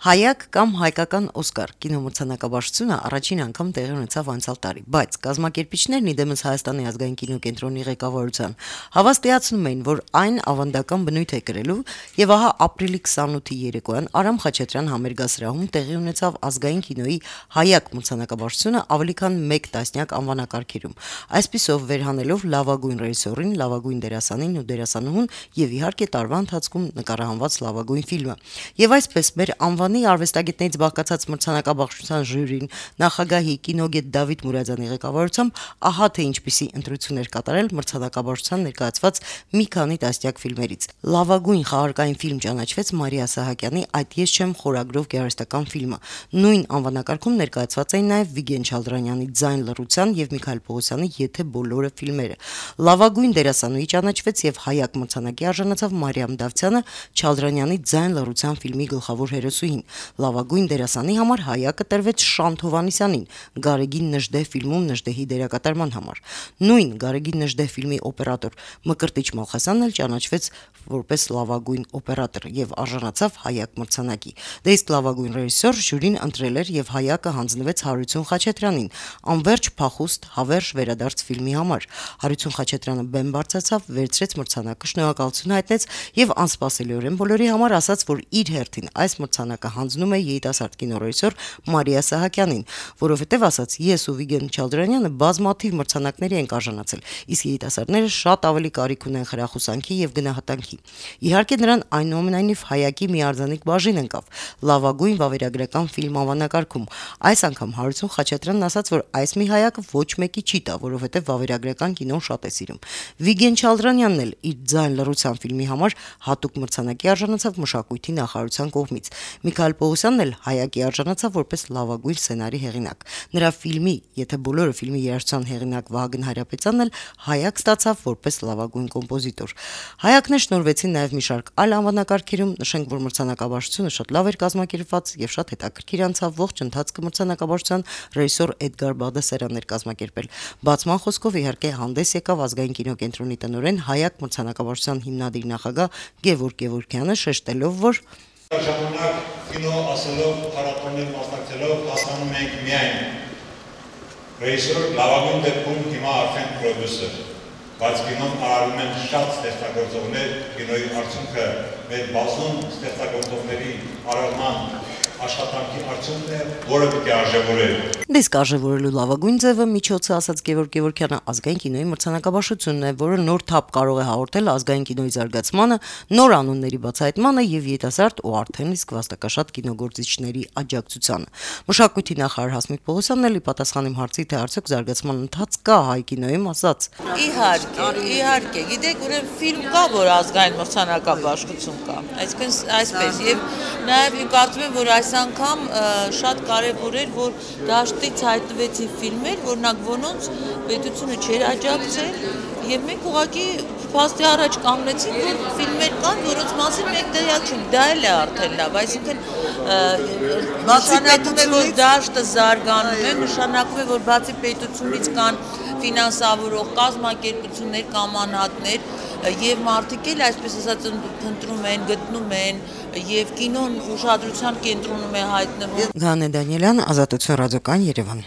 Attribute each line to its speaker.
Speaker 1: Հայակ կամ հայկական Օսկար կինոմրցանակաբաշխությունը առաջին անգամ տեղի ունեցավ անցյալ տարի, բայց կազմակերպիչներն իդեմս Հայաստանի ազգային կինոկենտրոնի ղեկավարության հավաստիացնում էին, որ այն ավանդական բնույթ է կրելու, եւ ահա ապրիլի 28-ի երեկոյան Արամ Խաչատրյան համերգասրահում տեղի ունեցավ ազգային կինոյի Հայակ մրցանակաբաշխությունը ավելի քան 1 տասնյակ անվանակարգերում, այսպիսով վերհանելով լավագույն ռեժիսորին, լավագույն դերասանին ու դերասանուհուն եւ իհարկե տարվա ընթացքում նկարահանված լավագույն ֆիլմը, եւ այսպես մեր անվանի արվեստագետներից բաղկացած մրցանակաբաշխության ժյուրին նախագահի կինոգետ Դավիթ Մուրադյանի ղեկավարությամբ ահա թե ինչպիսի ընտրություններ կատարել մրցանակաբաշխության ներկայացված մի քանի տասնյակ ֆիլմերից։ Լավագույն խաղարկային ֆիլմ ճանաչվեց Մարիա Սահակյանի «Այդ ես չեմ» խորագրով գեղարվեստական ֆիլմը։ Նույն անվանակարգում ներկայացված էին նաև Վիգեն Չալդրանյանի «Ձայն լռության» եւ Միքայել Պողոսյանի «Եթե բոլորը» ֆիլմերը։ Լավագույն դերասանուհի ճանաչվեց եւ Հայակ մրցանակի արժանացավ Մարիամ Դավթյանը Չալդրանյանի «Ձայն լռության» ֆիլմի գլխավոր հերոսուհին։ Լավագույն դերասանի համար Հայակը տրվեց Շանթ Հովհաննիսյանին Գարեգին Նժդեհ ֆիլմում Նժդեհի դերակատարման համար։ Նույն Գարեգին Նժդեհ ֆիլմի օպերատոր Մկրտիչ Մալխասյանն էլ ճանաչվեց որպես լավագույն օպերատոր եւ արժանացավ Հայակ մրցանակի։ Դե իսկ լավագույն ռեժիսոր ժյուրին ընտրել էր եւ Հայակը հանձնվեց Հարություն Խաչատրյանին Անվերջ փախուստ հավերժ վերադարձ ֆիլմի համար։ Հարություն Խաչատրյանը բեմ բարձրացավ, վերցրեց մրցանակը, շնորհակալություն հայտնեց եւ անսպասելիորեն բոլորի համար ասաց, որ իր հերթին այս մրցանակը հանձնում է երիտասարդ կինոռեժիսոր Մարիա Սահակյանին, որովհետև ասաց, ես ու Վիգեն Չալդրանյանը բազմաթիվ մրցանակների ենք արժանացել, իսկ երիտասարդները շատ ավելի կարիք ունեն խրախուսանքի եւ գնահատանքի։ Իհարկե նրան այնուամենայնիվ Հայակի մի արձանիկ բաժին ընկավ լավագույն վավերագրական ֆիլմ անվանակարգում։ Այս անգամ Հարություն Խաչատրյանն ասաց, որ այս մի Հայակը ոչ մեկի չի տա, որովհետև վավերագրական կինոն շատ է սիրում։ Վիգեն Չալդրանյանն էլ իր «Ձայն լռության» ֆիլմի համար հատուկ մրցանակի արժանացավ մշակույթի նախարարության կողմից։ Միքայել Պողոսյանն էլ Հայակի արժանացավ որպես լավագույն սցենարի հեղինակ։ Նրա ֆիլմի «Եթե բոլորը» ֆիլմի երաժշտության հեղինակ Վահագն Հայրապետյանն էլ Հայակ ստացավ որպես լավագույն կոմպոզիտոր։ Հայակներ շնորհվեցին նաև մի շարք այլ անվանակարգերում, նշենք, որ մրցանակաբաշխությունը շատ լավ էր կազմակերպված եւ շատ հետաքրքիր անցավ, ողջ ընթացքը մրցանակաբաշխության ռեժիսոր Էդգար Բաղդասարյանն էր կազմակերպել։ Բացման խոսքով իհարկե հանդես եկավ ազգային կինոկենտրոնի տնօրեն Հայակ մրցանակաբաշխության հիմնադիր նախագահ Գևորգ Գևորգյանը, շեշտելով, որ
Speaker 2: ժամանակ կինո ասելով, փառատոներ մասնակցելով հասկանում ենք միայն ռեժիսոր, լավագույն դեպքում հիմա արդեն պրոդյուսեր, բայց կինոն արարում են շատ ստեղծագործողներ, կինոյի արդյունքը մեր բազում ստեղծագործողների արարման աշխատանքի արդյունքն է, որը պիտի արժևորել։
Speaker 1: Իսկ արժևորելու լավագույն ձևը միջոցը, ասաց Գևորգ Գևորգյանը, ազգային կինոյի մրցանակաբաշխությունն է, որը նոր թափ կարող է հաղորդել ազգային կինոյի զարգացմանը, նոր անունների բացահայտմանը եւ երիտասարդ ու արդեն իսկ վաստակաշատ կինոգործիչների աջակցությանը։ Մշակույթի նախարար Հասմիկ Պողոսյանն էլ ի պատասխան իմ հարցի, թե արդյոք զարգացման ընթաց կա հայ կինոյում, ասաց.
Speaker 3: Իհարկե, գիտեք, ուրեմն ֆիլմ կա, որ ազգային մրցանակաբաշխություն կա։ Այսպես եւ նաեւ կարծում եմ, որ այս անգամ շատ կարևոր էր, որ դաշտից հայտնվեցին ֆիլմեր, որոնք որոնց պետությունը չէր աջակցել, եւ մենք ուղղակի փաստի առաջ կանգնեցինք, որ ֆիլմեր կան, որոնց մասին մենք տեղյակ չենք, դա էլ է արդեն լավ, այսինքն նշանակում է, որ դաշտը զարգանում է, նշանակում է, որ բացի պետությունից կան ֆինանսավորող կազմակերպություններ կամ անհատներ եւ մարդիկ էլ այսպես ասած ընտրում են, գտնում են եւ կինոն ուշադրության կենտրոնում է հայտնվում։
Speaker 1: Գանե Դանիելյան, Ազատություն ռադիոկայան, Երևան։